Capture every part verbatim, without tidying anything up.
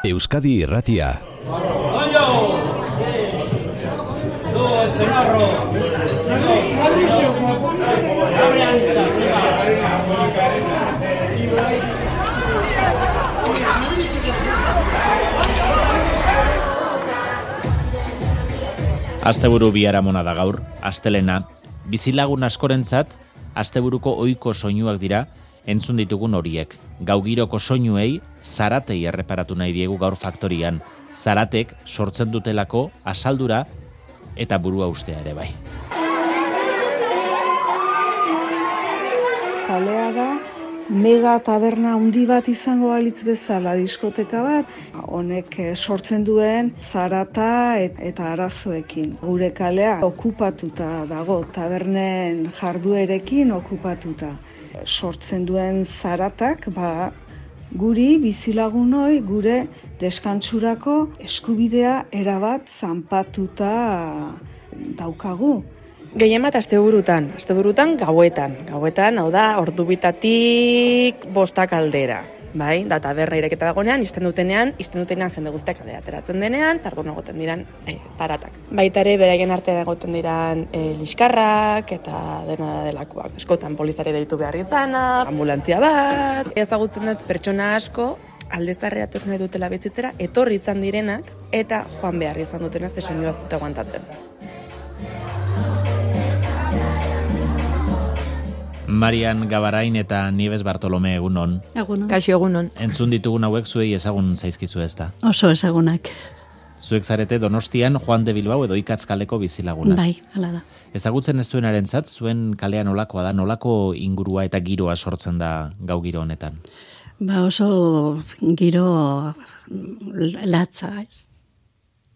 Euskadi Irratia. Asteburu biharamona da gaur, astelena. Bizilagun askorentzat, asteburuko ohiko soinuak dira, entzun ditugun horiek. Gaugiroko soinuei, zaratei erreparatu nahi diegu gaur faktorian. Zaratek sortzen dutelako asaldura eta burua ustea ere bai. Kalea da, mega taberna handi bat izango balitz bezala, diskoteka bat, honek sortzen duen zarata eta arazoekin. Gure kalea okupatuta dago, tabernen jarduerekin okupatuta. Sortzen duen zaratak, ba, guri bizilagunoi gure deskantsurako eskubidea erabat zanpatuta daukagu. Gehien bat asteburutan, asteburutan gauetan. Gauetan, hau da, ordubitatik bostak aldera. Bai, da taberna ireketa dagonean, izten dutenean, izten dutenean jende guztiak aldera ateratzen denean, tardun egoten diran e, zaratak. Baita ere, beraien artean egoten diran e, liskarrak eta dena delakoak. Eskotan polizare deitu behar izana, ambulantzia bat. Ezagutzen dut pertsona asko, aldezarrea etorri nahi dutela bizitzera, etorri izan direnak eta joan behar izan dutenaz ze soinua zute aguantatzen. Marian Gabarain eta Nieves Bartolome egunon. Egunon. Kaixo egunon. Entzun ditugun hauek zuei ezagun zaizkizu ez da? Oso ezagunak. Zuek zarete Donostian Juan de Bilbao edo Ikatz kaleko bizilagunak. Bai, hala da. Ezagutzen ez duenarentzat zuen kalean nolakoa da, nolako ingurua eta giroa sortzen da gau giro honetan? Ba oso giro latza ez.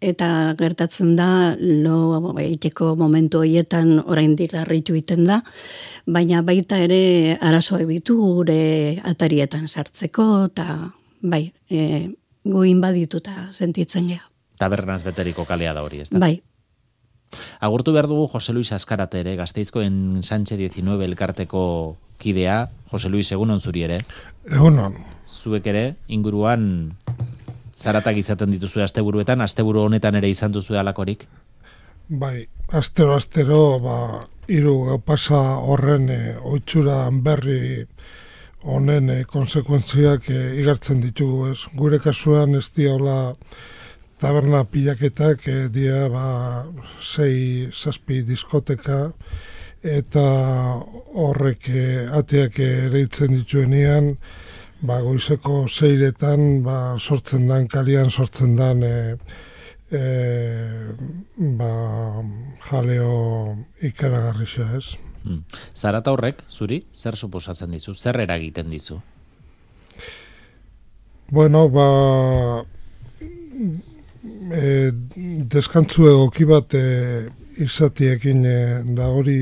Eta gertatzen da, lo eiteko momentu horietan oraindik larritu iten da, baina baita ere arazoak ditu gure atarietan sartzeko, eta bai, e, guin badituta sentitzen geha. Tabernaz beteriko kalea da hori, ez da? Bai. Agurtu behar dugu Jose Luis Azkarate ere, Gasteizkoen Sánchez diecinueve elkarteko kidea. Jose Luis, egunon zuri ere? Egunon. Zuek ere, inguruan zaratak izaten dituzue asteburuetan, asteburu honetan ere izan duzu alakorik? Bai, astero, astero, ba, hiru pasa horren e, oitxura berri honen e, konsekuentziak e, igartzen ditugu, ez? Gure kasuan ez diaula taberna pilaketak, e, dia, ba, sei, zazpi diskoteka, eta horrek e, ateak ereitzen dituenean, ba, goizeko zeiretan ba, sortzen dan, kalian sortzen dan e, e, ba, jaleo ikaragarrisa, ez? Hmm. Zarata horrek, zuri, zer suposatzen dizu? Zer eragiten dizu? Bueno, ba, e, deskantzu egoki bat e, izatiekin e, da hori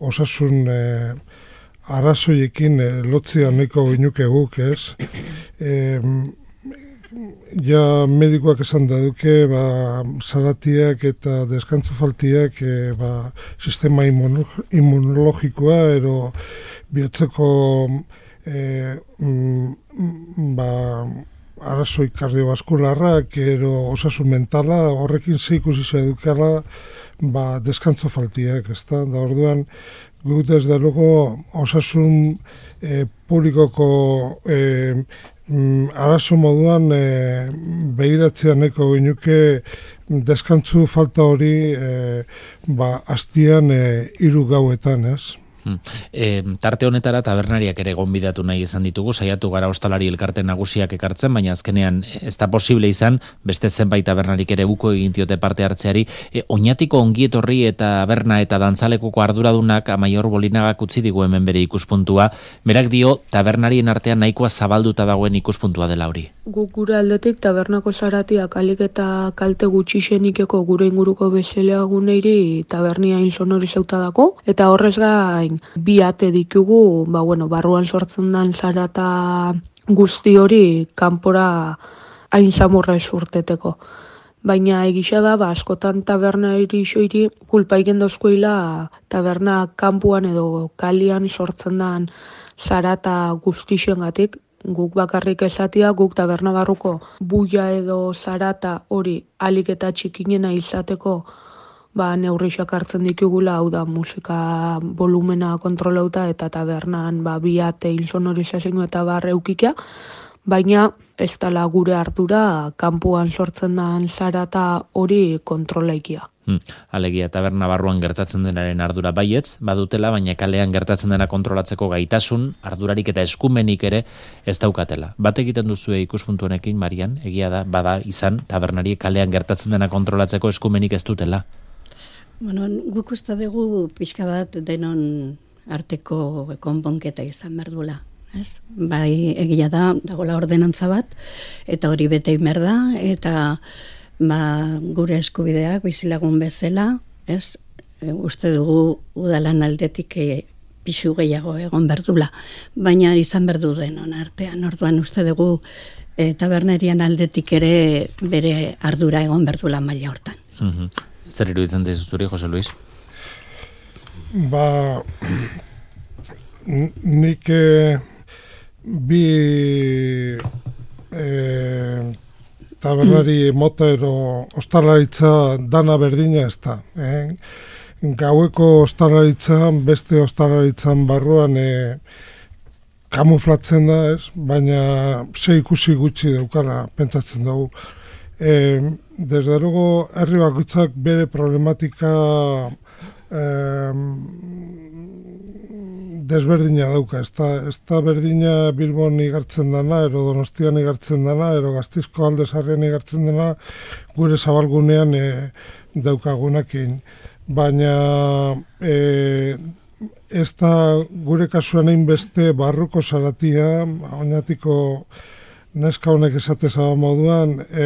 osasun e, arazoiekin e, lotzia nahiko ginuke guk, ez? E, ja medikoak esan da duke, ba, zaratiak eta deskantzu faltiak e, ba, sistema immunologikoa ero bihotzeko e, mm, ba, arazoi kardiobaskularrak ero osasun mentala, horrekin zeikusi edukala ba, deskantzu faltiak, ez da? Da orduan, guk desde luego osasun e, publikoko e, mm, arazo moduan e, behiratzea neko ginuke deskantzu falta hori e, ba, astian e, hiru gauetan, ez? Hmm. E, tarte honetara tabernariak ere gonbidatu nahi izan ditugu, saiatu gara ostalari elkarte nagusiak ekartzen, baina azkenean ez da posible izan, beste zenbait tabernarik ere buko egin diote parte hartzeari. E, Oñatiko ongietorri eta taberna eta dantzalekuko arduradunak Amaior Bolinagak utzi digu hemen bere ikuspuntua, berak dio tabernarien artean nahikoa zabalduta dagoen ikuspuntua dela hori. Guk gure aldetik tabernako zaratiak alik eta kalte gutxixenikeko gure inguruko bezalaguneiri tabernia hain sonori zeuta dago, eta horrez gain bi ate ditugu, ba, bueno, barruan sortzen den zarata guzti hori kanpora hain samurra esurteteko. Baina egisa da, ba, askotan taberna irixoiri kulpa igen dozkoila taberna kanpuan edo kalian sortzen den zarata guztixengatik, guk bakarrik esatia, guk taberna barruko buia edo zarata hori alik eta txikinena izateko ba, neurrixak hartzen ditugula, hau da musika volumena kontrolauta eta tabernan ba, biate insonorizazio eta bar eukikia, baina ez dela gure ardura kanpoan sortzen den zarata hori kontrolaikia. Hmm. Alegia taberna barruan gertatzen denaren ardura baietz, badutela, baina kalean gertatzen dena kontrolatzeko gaitasun, ardurarik eta eskumenik ere ez daukatela. Bat egiten duzue ikuspuntu honekin, Marian, egia da, bada izan, tabernari kalean gertatzen dena kontrolatzeko eskumenik ez dutela? Bueno, guk uste dugu pixka bat denon arteko konponketa izan berdula. Ez? Bai, egia da, dagoela ordenantza bat, eta hori bete behar da, eta ba, gure eskubideak bizilagun bezala, ez? E, uste dugu udalan aldetik e, pixu gehiago egon berdula, baina izan berdu denon artean, orduan uste dugu e, tabernerian aldetik ere bere ardura egon berdula maila hortan. Mm-hmm. Zer iruditzen zaizu zuri, Jose Luis? Ba, nik e, bi e, tabernari mota ero ostalaritza dana berdina ez da. Eh? Gaueko ostalaritzan, beste ostalaritzan barruan e, kamuflatzen da, ez? Baina ze ikusi gutxi daukala pentsatzen dugu. E, desde luego, herri bakoitzak bere problematika eh, desberdina dauka. Ez da, ez da berdina Bilbon igartzen dana, ero Donostian igartzen dana, ero Gasteizko Alde Zaharrean igartzen dana, gure zabalgunean e, daukagunakin. Baina e, ez da gure kasuan egin beste barruko zaratia, oinatiko neska honek esateza moduan, e,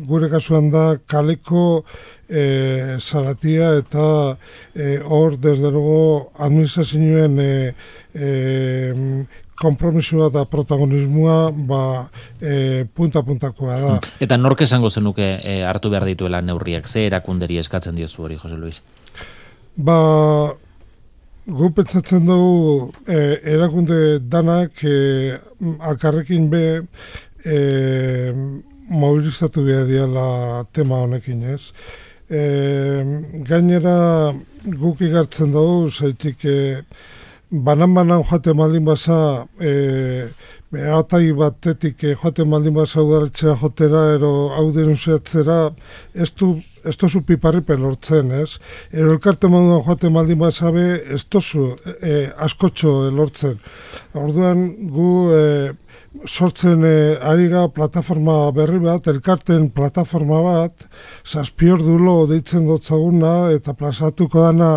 gure kasuan da kaleko e, zaratia eta hor, e, desde luego, administrazioen e, e, kompromisua eta protagonismoa ba, e, punta-puntakoa da. Eta nork esango zenuke e, hartu behar dituela neurriak, ze erakunderi eskatzen diozu hori, Jose Luis? Ba, gu pentsatzen dugu e, erakunde danak e, alkarrekin be e, mobilizatu behar diala tema honekin, ez? E, gainera guk igartzen dugu, zaitik e, banan-banan joaten maldin baza, e, beratai batetik e, joaten maldin baza udaletxea jotera, ero hau denunciatzera, ez du ez tozu piparri pelortzen, ez? Ero elkarte moduan joaten maldin bazabe, ez tozu e, askotxo elortzen. Orduan gu e, sortzen e, ari ga plataforma berri bat, elkarten plataforma bat, zazpiordulo deitzen dotzaguna, eta plazatuko dana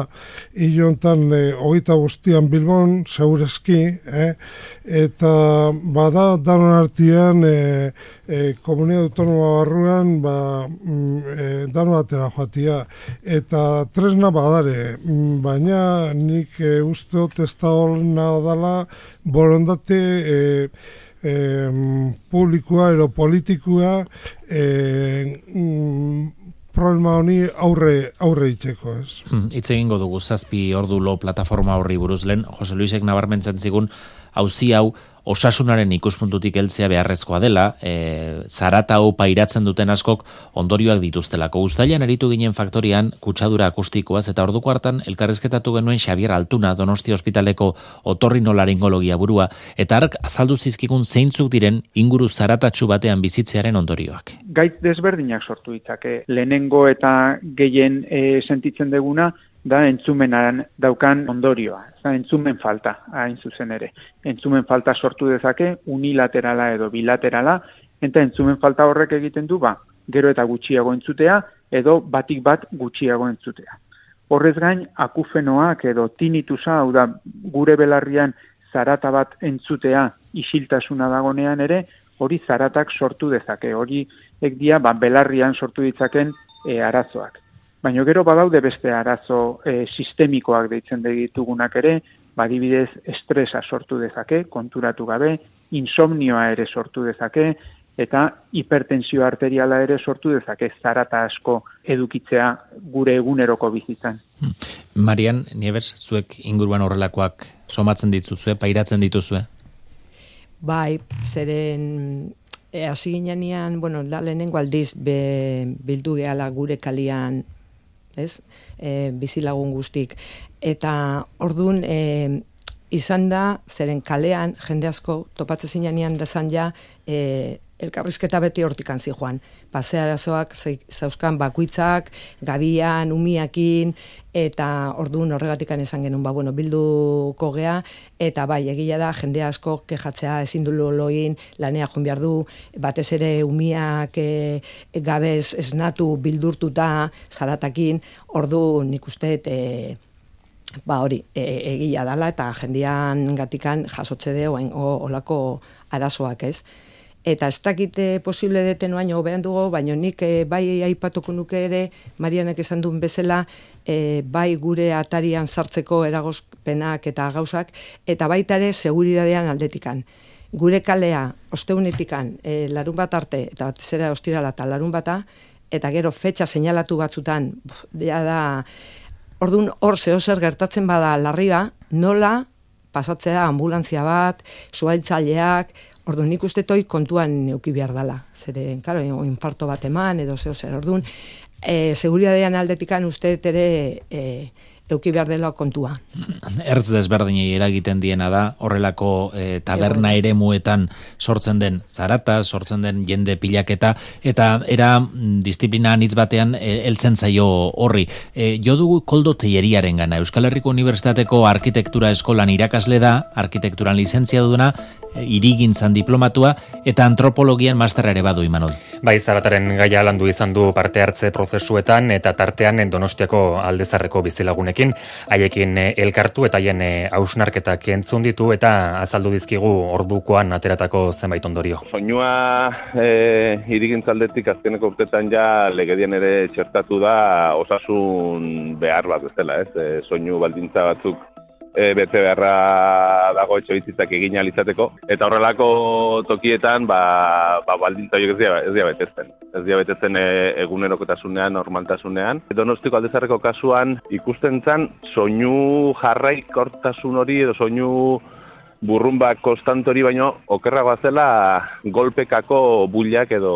hilontan e, hogeita guztian Bilbon, segurezki, eh? Eta bada danon artean e, e, komunidad autonoma barruan ba, e, danon atera joatia. Eta tresna badare, baina nik e, usteot ez da holna dala borondate e, e, publikoa ero politikoa e, mm, problema honi aurre aurre itzeko, ez. Hitz hmm, egingo dugu zazpi ordulo plataforma horri buruz lehen, Jose Luisek nabarmentzen zigun, auzi hau osasunaren ikuspuntutik heltzea beharrezkoa dela, e, zarata hau pairatzen duten askok ondorioak dituztelako. Uztailan eritu ginen faktorian kutsadura akustikoaz, eta orduko hartan elkarrizketatu genuen Xabier Altuna, Donostia Ospitaleko otorrinolaringologia burua, eta ark azaldu zizkikun zeintzuk diren inguru zaratatsu batean bizitzearen ondorioak. Gaitz desberdinak sortu ditzake. Lehenengo eta gehien e, sentitzen deguna, da entzumenan daukan ondorioa, da entzumen falta, hain zuzen ere. Entzumen falta sortu dezake unilaterala edo bilaterala, eta entzumen falta horrek egiten du, ba, gero eta gutxiago entzutea, edo batik bat gutxiago entzutea. Horrez gain, akufenoak edo tinitusa, hau da, gure belarrian zarata bat entzutea isiltasuna dagonean ere, hori zaratak sortu dezake, hori ekdia ba, belarrian sortu ditzaken e, arazoak. Baina gero badaude beste arazo e, sistemikoak deitzen ditugunak ere, badibidez estresa sortu dezake, konturatu gabe, insomnioa ere sortu dezake, eta hipertensio arteriala ere sortu dezake, zarata asko edukitzea gure eguneroko bizitzan. Marian, Nieves, zuek inguruan horrelakoak somatzen dituzue, pairatzen dituzue? Bai, zeren e, hasi ginean, bueno, da lehenengo aldiz be, bildu gehala gure kalian, ez? E, bizilagun guztik. Eta ordun e, izan da, zeren kalean, jende asko, topatze zinean dezan ja, e, elkarrizketa beti hortikan zijoan. Pasearazoak zauzkan bakuitzak, gabian, umiakin, eta orduan horregatikan esan genuen, ba, bueno, bilduko gea, eta bai, egia da, jende asko kejatzea ezin du loloin, lanea joan behar du, batez ere umiak e, gabez esnatu, bildurtuta, zaratakin, orduan nik uste, e, ba hori, e, egia dala, eta jendean gatikan jasotze de oain, olako arazoak, ez? Eta ez dakite posible deten oaino hobean dugu, baina nik e, bai aipatuko nuke ere, Marianek esan duen bezala, e, bai gure atarian sartzeko eragozpenak eta gauzak, eta baita ere seguridadean aldetikan. Gure kalea, osteunetikan, e, larun bat arte, eta batez ere ostirala eta larun bata, eta gero fetxa seinalatu batzutan, ja da, orduan hor zeo zer gertatzen bada larria, nola pasatzea ambulantzia bat, zuhailtzaileak, orduan nik uste toi kontuan neuki behar dala. Zeren, karo, infarto bat eman, edo zeo zer, orduan, e, seguridadean aldetikan uste ere e, euki behar dela kontua. Ertz desberdinei eragiten diena da, horrelako e, taberna eremuetan sortzen den zarata, sortzen den jende pilaketa, eta era disiplina anitz batean e, heltzen zaio horri. E, jo dugu Koldo Telleriaren gana, Euskal Herriko Unibertsitateko Arkitektura Eskolan irakasle da, arkitekturan lizentzia duduna, irigintzan diplomatua, eta antropologian masterra ere badu, Imanol. Bai, zarataren gaia landu izan du parte hartze prozesuetan, eta tartean Donostiako Aldezarreko bizilagunekin, haiekin elkartu eta haien hausnarketak entzun ditu, eta azaldu dizkigu ordukoan ateratako zenbait ondorio. Soinua e, irigintzaldetik azkeneko urtetan ja legedian ere txertatu da osasun behar bat, ez dela, ez? E, soinu baldintza batzuk E, bete beharra dago etxebizitzak egin alizateko, eta horrelako tokietan ba, ba, baldintza horiek ez dira, ez dira betetzen. Ez dira betetzen e, egunerokotasunean, normaltasunean. Donostiko Aldezarreko kasuan ikusten zen soinu jarraikortasun hori edo soinu burrunba konstantori baino okerragoa zela golpekako bullak edo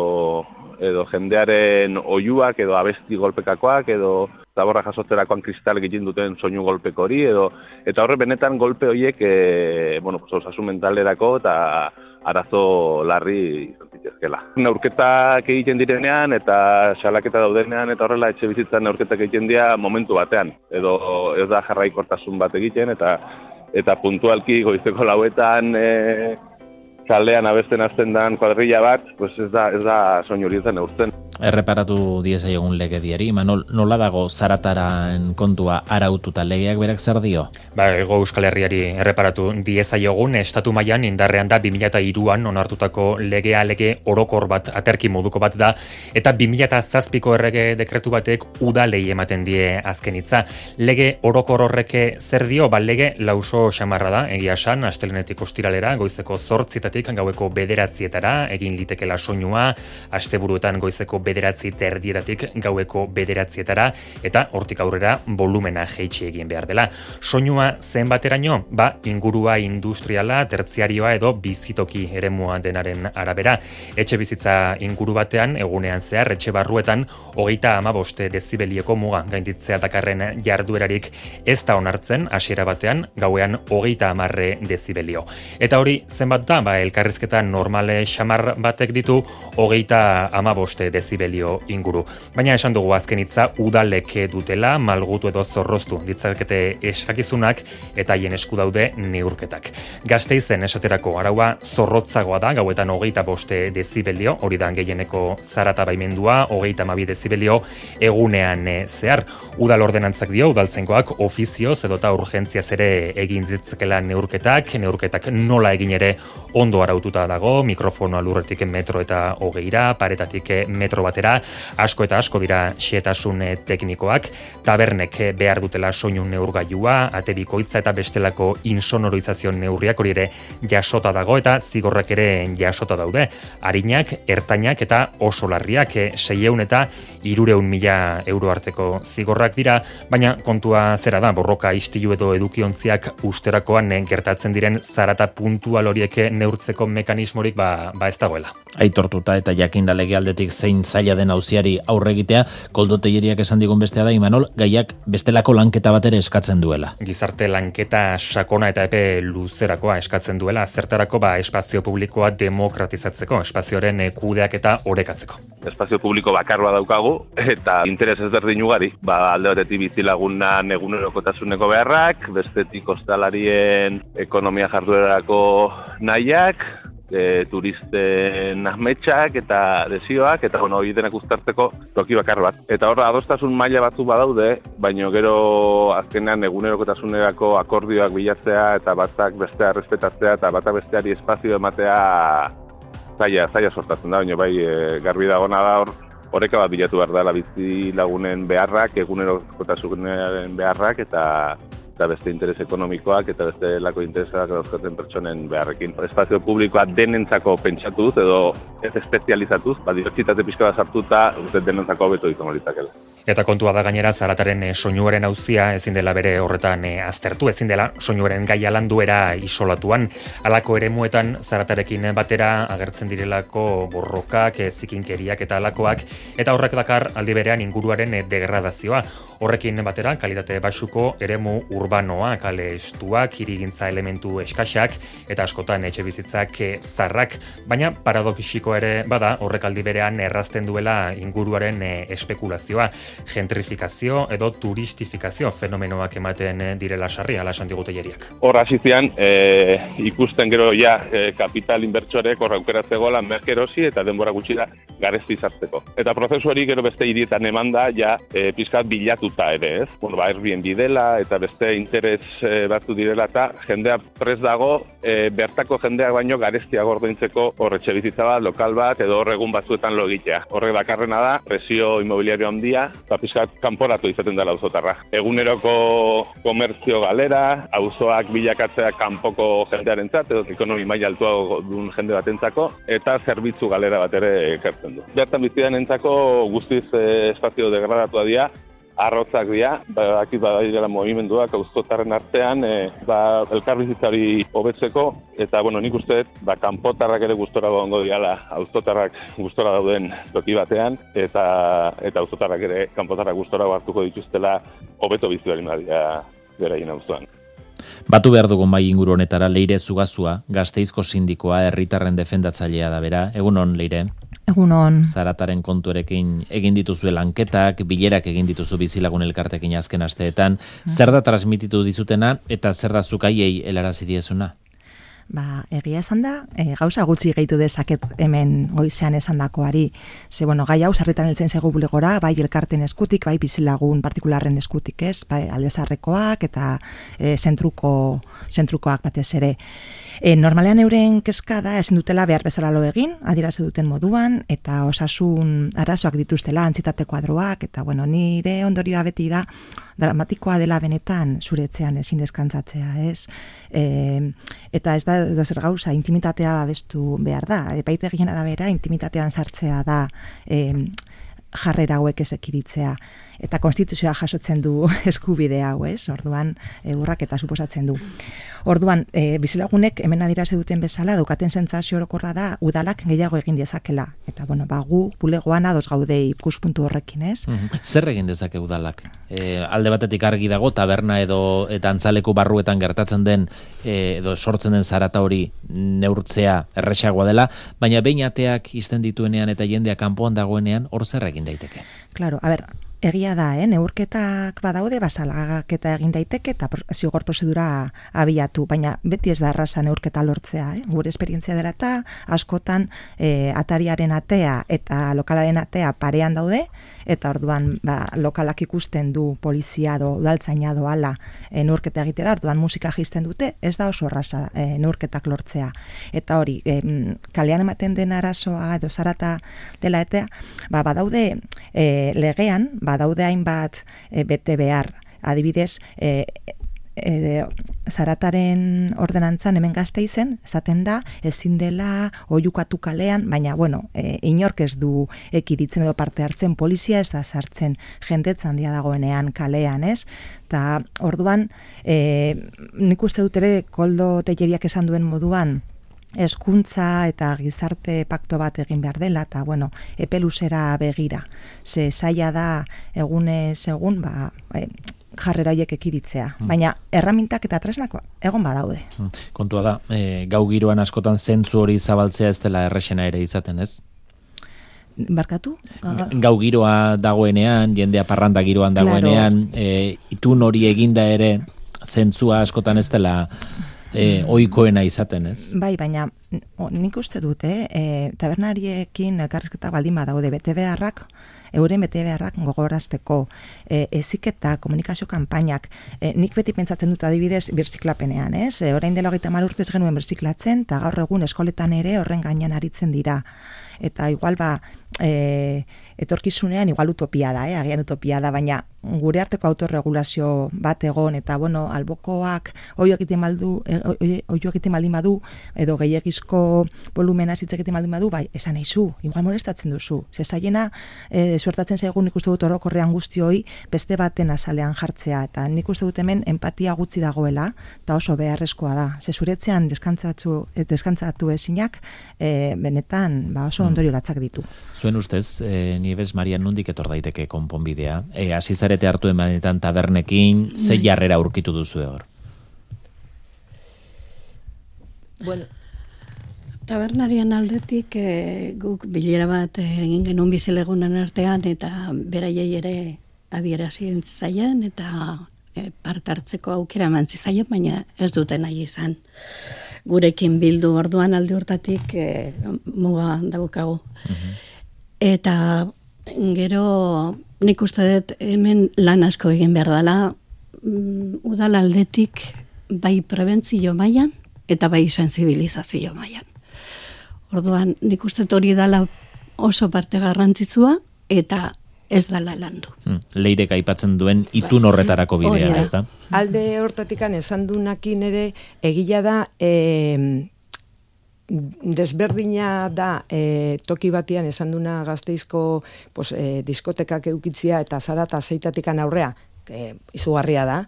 edo jendearen oihuak edo abesti golpekakoak edo zaborra jasotzerakoan kristal egiten duten soinu golpeko hori edo eta horre benetan golpe horiek e, bueno, pues, osasun mentalerako eta arazo larri izan zitezkela. Neurketak egiten direnean eta salaketa daudenean eta horrela etxe bizitzan neurketak egiten dira momentu batean edo ez da jarraikortasun bat egiten eta eta puntualki goizeko lauetan e, kalean abesten hasten dan kuadrilla bat, pues ez da, ez da soinu hori neurtzen. Erreparatu diezaiogun legediari, Manol, nola dago zarataren kontua araututa legeak berak zer dio? Ba, ego Euskal Herriari erreparatu diezaiogun, estatu mailan indarrean da bi mila hiruan onartutako legea lege orokor bat, aterki moduko bat da, eta bi mila zazpiko errege dekretu batek udalei ematen die azken hitza. Lege orokor horreke zer dio? Ba, lege lauso xamarra da, egia esan, astelenetik ostiralera, goizeko zortzitatik gaueko bederatzietara, egin litekela soinua, asteburuetan goizeko bederatzi terdietatik gaueko bederatzietara, eta hortik aurrera volumena jeitsi egin behar dela. Soinua zenbateraino? Ba, ingurua industriala, tertziarioa edo bizitoki eremua denaren arabera. Etxe bizitza inguru batean, egunean zehar, etxe barruetan, hogeita hamabost dezibelieko muga gainditzea dakarren jarduerarik ez da onartzen, hasiera batean, gauean hogeita hamarre dezibelio. Eta hori zenbat da, ba, elkarrizketa normale xamar batek ditu hogeita hamabost dezibelio inguru. Baina esan dugu azken hitza udalek dutela, malgutu edo zorroztu ditzakete eskakizunak eta haien esku daude neurketak. Gasteizen esaterako araua zorrotzagoa da, gauetan hogeita boste dezibelio, hori da gehieneko zarata baimendua, hogeita hamabi dezibelio egunean zehar. Udal ordenantzak dio, udaltzaingoak ofizioz edota urgentziaz ere egin ditzakela neurketak, neurketak nola egin ere ondo araututa dago, mikrofonoa lurretik metro eta hogeira, paretatik metro batera, asko eta asko dira xehetasun teknikoak, tabernek behar dutela soinu neurgailua, ate bikoitza eta bestelako insonoroizazio neurriak hori ere jasota dago eta zigorrak ere jasota daude. Arinak, ertainak eta oso larriak seiehun eta hirurehun mila euro arteko zigorrak dira, baina kontua zera da, borroka istilu edo edukiontziak usterakoan gertatzen diren zarata puntual horiek neurtzea egokitzeko mekanismorik ba, ba ez dagoela. Aitortuta eta jakinda legealdetik zein zaila den auziari aurre egitea, Koldo Telleriak esan digun bestea da, Imanol, gaiak bestelako lanketa bat ere eskatzen duela. Gizarte lanketa sakona eta epe luzerakoa eskatzen duela, zertarako ba espazio publikoa demokratizatzeko, espazioaren kudeaketa orekatzeko. Espazio publiko bakar bat daukagu eta interes ezberdin ugari, ba alde batetik bizilagunan egunerokotasuneko beharrak, bestetik ostalarien ekonomia jarduerarako nahiak, e, turisten ahmetsak eta desioak, eta bueno, hori denak uztartzeko toki bakar bat. Eta horra, adostasun maila batzuk badaude, baino gero azkenean egunerokotasunerako akordioak bilatzea eta batak bestea respetatzea eta batak besteari espazio ematea zaila, zaila sortatzen da, baina bai e, garbi dagona da hor, horreka bat bilatu behar dela bizi lagunen beharrak, egunerokotasunaren beharrak eta eta beste interes ekonomikoak eta beste lako interesak dauzkaten pertsonen beharrekin. Espazio publikoa denentzako pentsatuz edo ez espezializatuz, ba, dibertsitate pixka bat sartuta, uste denentzako hobeto izango litzakela. Eta kontua da gainera Zarataren e, soinuaren auzia ezin dela bere horretan e, aztertu, ezin dela soinuaren gaia landuera isolatuan. Halako eremuetan Zaratarekin batera agertzen direlako borrokak, e, zikinkeriak eta halakoak, eta horrek dakar aldi berean inguruaren e, degradazioa. Horrekin batera kalitate baxuko eremu urbanoa, kale estuak, hirigintza elementu eskaxak eta askotan etxe bizitzak e, zarrak, baina paradoxiko ere bada horrek aldi berean errazten duela inguruaren e, espekulazioa. Gentrifikazio edo turistifikazio fenomenoak ematen direla sarri, ala esan digu Telleriak. Hor hasi zian, e, ikusten gero ja e, kapital inbertsorek hor aukeratzegoela merkerosi eta denbora gutxira garezti sartzeko. Eta prozesu hori gero beste hirietan emanda ja e, pizkat bilatuta ere, ez? Bueno, ba, Airbnb dela eta beste interes e, batzu direla eta jendea prest dago e, bertako jendeak baino gareztiago ordaintzeko hor etxe bizitza bat, lokal bat edo hor egun batzuetan lo egitea. Horrek dakarrena da presio inmobiliario handia eta pizkat kanporatu izaten dela auzotarra. Eguneroko komertzio galera, auzoak bilakatzea kanpoko jendearentzat edo ekonomi maila altuago duen jende batentzako eta zerbitzu galera bat ere ekartzen du. Bertan bizidanentzako guztiz eh, espazio degradatua dira, arrotzak dira, bakit badairela movimenduak auzotarren artean, e, ba, elkarbizitzari hobetzeko, eta bueno, nik uste dut, ba, kanpotarrak ere gustora gongo diala, auzotarrak gustora dauden toki batean, eta eta auzotarrak ere kanpotarrak gustora hartuko dituztela hobeto bizi baldin badia beraien auzoan. Batu behar dugun bai inguru honetara Leire Zugazua, Gasteizko sindikoa, herritarren defendatzailea da bera. Egunon, Leire? Egunon. Zarataren kontuerekin egin dituzu lanketak, bilerak egin dituzu bizilagun elkartekin azken asteetan. Zer da transmititu dizutena eta zer da zuk haiei helarazi diezuna? Ba, egia esan da, e, gauza gutxi gehitu dezaket hemen goizean esandakoari. Ze, bueno, gai hau sarritan heltzen zaigu bulegora, bai elkarten eskutik, bai bizilagun partikularren eskutik, ez? Bai aldezarrekoak eta e, zentruko, zentrukoak batez ere. E, normalean euren kezka da ezin dutela behar bezala lo egin, adierazi duten moduan, eta osasun arazoak dituztela, antzitate kuadroak, eta bueno, nire ondorioa beti da, dramatikoa dela benetan zuretzean ezin deskantzatzea, ez? E, eta ez da dozer gauza, intimitatea babestu behar da. Epaitegien arabera, intimitatean sartzea da e, jarrera hauek ez ekiritzea. Eta konstituzioa jasotzen du eskubide hau, ez? Orduan, e, urraketa suposatzen du. Orduan, e, bizilagunek hemen adierazi duten bezala, daukaten sentsazio orokorra da, udalak gehiago egin dezakela. Eta, bueno, ba, gu bulegoan ados gaude ikuspuntu horrekin, ez? Mm-hmm. Zer egin dezake udalak? E, alde batetik argi dago, taberna edo eta antzaleku barruetan gertatzen den, e, edo sortzen den zarata hori neurtzea erresagoa dela, baina behin ateak izten dituenean eta jendeak kanpoan dagoenean, hor zer egin daiteke? Claro, a ber, egia da, eh? Neurketak badaude, basalagaketa egin daiteke eta zigor prozedura abiatu, baina beti ez da erraza neurketa lortzea. Eh? Gure esperientzia dela eta askotan eh, atariaren atea eta lokalaren atea parean daude, eta orduan ba, lokalak ikusten du polizia do, udaltzaina doala e, neurketa egitera, orduan musika jisten dute, ez da oso erraza e, neurketak lortzea. Eta hori, e, kalean ematen den arazoa edo zarata dela eta, ba, badaude e, legean, badaude hainbat e, bete behar, adibidez, e, e, zarataren ordenantzan hemen Gasteizen, esaten da, ezin dela oihukatu kalean, baina, bueno, e, inork ez du ekiritzen edo parte hartzen, polizia ez da sartzen jendetza handia dagoenean kalean, ez? Ta orduan, e, nik uste dut ere Koldo Telleriak esan duen moduan, hezkuntza eta gizarte pakto bat egin behar dela, eta, bueno, epe luzera begira. Ze zaila da egunez egun, ba, e, jarrera horiek ekiritzea. Hmm. Baina erramintak eta tresnak egon badaude. Hmm. Kontua da, e, gau giroan askotan zentzu hori zabaltzea ez dela errexena ere izaten, ez? Barkatu? Gau giroa dagoenean, jendea parranda giroan dagoenean, claro. e, itun hori eginda ere, zentzua askotan ez dela e, oikoena izaten, ez? Bai, baina o, nik uste dute, e, tabernariekin elkarrizketa baldin badaude bete beharrak, euren bete beharrak gogorazteko, e, eziketa, komunikazio kanpainak, e, nik beti pentsatzen dut adibidez birziklapenean, ez? E, orain dela hogeita hamar urtez genuen birziklatzen, eta gaur egun eskoletan ere horren gainean aritzen dira. Eta igual ba, e, etorkizunean igual utopia da, eh? Agian utopia da, baina gure arteko autorregulazio bat egon, eta bueno, albokoak oio egiten baldu, oio egiten baldin badu, edo gehiagizko volumena hitz egiten baldin badu, bai, esan nahizu, igual molestatzen duzu. Ze zaiena, e, suertatzen zaigun nik uste dut orokorrean guztioi beste baten azalean jartzea, eta nik uste dut hemen empatia gutxi dagoela, eta oso beharrezkoa da. Ze zuretzean deskantzatu, deskantzatu ezinak, e, benetan, ba, oso ondorio latzak ditu. Zuen ustez, e, Nieves Maria, nondik etor daiteke konponbidea? E, azizarete hartu emanetan tabernekin, ze jarrera aurkitu duzu hor? Bueno, tabernarian aldetik e, guk bilera bat egin genuen bizilegunan artean, eta beraiei ere adierazien zaien, eta e, part hartzeko aukera mantzi zaien, baina ez duten nahi izan. Gurekin bildu orduan alde hortatik e, muga daukagu. Uh-huh. Eta gero nik uste dut hemen lan asko egin behar dela, um, udal aldetik bai prebentzio mailan eta bai sensibilizazio mailan. Orduan nik uste dut hori dela oso parte garrantzitsua eta ez dela landu. Hmm. Leirek aipatzen duen itun horretarako bidea, ez da? Alde hortatikan esan dunakin ere egila da, e, desberdina da e, toki batian esan duna Gasteizko pues, e, diskotekak eukitzia eta zarata zeitatikan aurrea, e, izugarria da,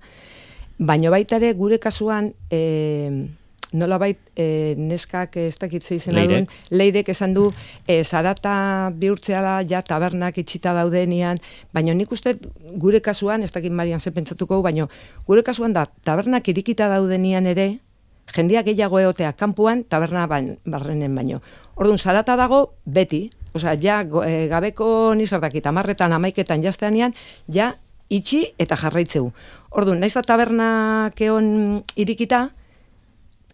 baina baita ere gure kasuan e, nolabait e, neskak ez dakitzea izena duen, Leirek esan du e, zarata bihurtzea ja tabernak itxita daudenean, baina nik uste gure kasuan, ez dakit Marian ze pentsatuko, baina gure kasuan da tabernak irikita daudenean ere, jendeak gehiago egotea kanpuan taberna barrenen baino. Orduan, zarata dago beti, osea, ja e, gabeko nizartakit, amarretan, amaiketan jazteanean, ja itxi eta jarraitzeu. Orduan, naiz tabernak egon irikita,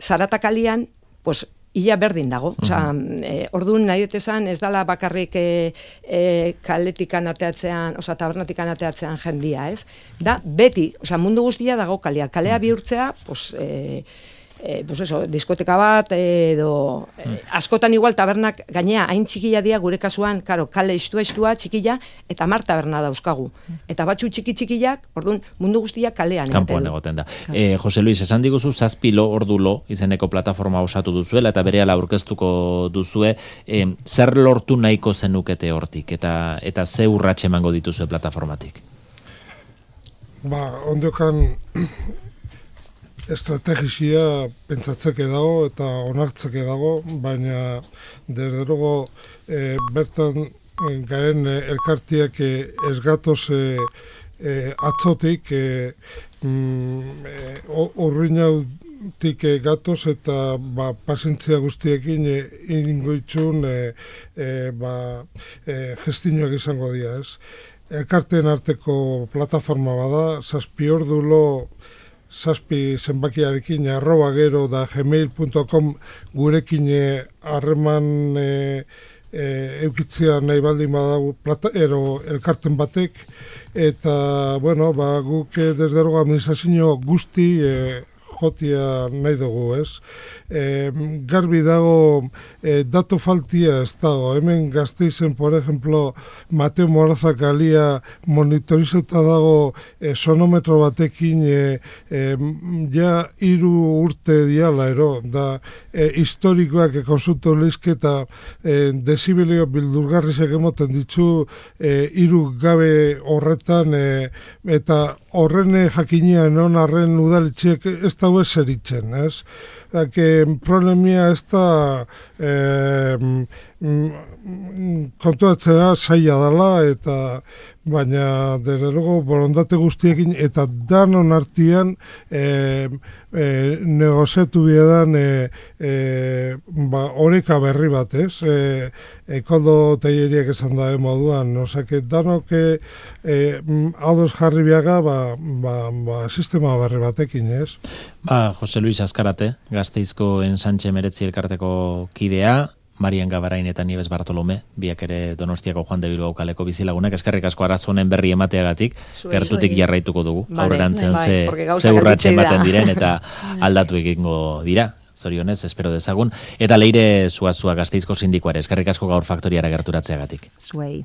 zarata kalian, pues, ia berdin dago. Osea, uh-huh. e, orduan nahi dut esan, ez dala bakarrik e, e, kaletikan ateatzean, osea, tabernatikan ateatzean jendia, ez? Da, beti, osea, mundu guztia dago kalea. Kalea bihurtzea, pues, e, e, pues eso, diskoteka bat, edo, e, askotan igual tabernak gainea, hain txikila dia gure kasuan, karo, kale istua-istua, txikila, eta mar taberna dauzkagu. Eta batzu txiki-txikilak, orduan, mundu guztia kalean. Kanpoan egoten da. E, Jose Luis, esan diguzu, zazpi lo, ordu lo, izeneko plataforma osatu duzuela, eta berehala aurkeztuko duzue, e, zer lortu nahiko zenukete hortik, eta eta ze urratxe emango dituzue plataformatik? Ba, ondokan estrategizia pentsatzeke dago eta onartzeke dago, baina desde luego e, bertan garen elkartiak e, ez gatoz e, e, atzotik e, mm, e, urruinautik e, gatoz eta ba, pazientzia guztiekin e, ingoitzun e, e, ba, e, gestinoak izango dira, ez? Elkarteen arteko plataforma bada, zazpi ordulo zazpi zenbakiarekin arroba gero da gmail punto com gurekin harreman e, e, eukitzea nahi baldin badago plata, ero elkarten batek, eta bueno, ba, guk desde luego administrazio guzti e, jotia nahi dugu, ez? E, garbi dago e, dato faltia ez dago. Hemen Gasteizen, por ejemplo, Mateo Moraza kalia monitorizauta dago e, sonometro batekin e, e, ja hiru urte diala, ero, da e, historikoak e, konsulto leizketa e, desibelio bildurgarrizek emoten ditzu e, hiru gabe horretan e, eta horren jakinean on arren udaletxeek ez daue zeritzen, ez? Que problemia ez da eh, kontuatzea zaila dela, eta baina derrerogo borondate guztiekin eta danon artian e, e, negoziatu biedan e, e, ba, oreka berri bat, ez? E, Ekoldo teileriak esan da moduan, osake danok e, ados jarri biaga ba, ba, ba, sistema berri batekin, ez? Ba, Jose Luis Azkarate, Gasteizko Ensanche Meretzi elkarteko kidea, Marian Gabarain eta Nieves Bartolome, biak ere Donostiako Juan de Bilbao kaleko bizilagunak, eskerrik asko arazonen berri emateagatik, gertutik jarraituko dugu, vale, aurrerantzean ze, ze urratxe ematen diren eta aldatu egingo dira. Zorionez, espero dezagun. Eta Leire Zuazua Gasteizko sindikoare, eskerrik asko gaur faktoriara gerturatzeagatik. Zuei.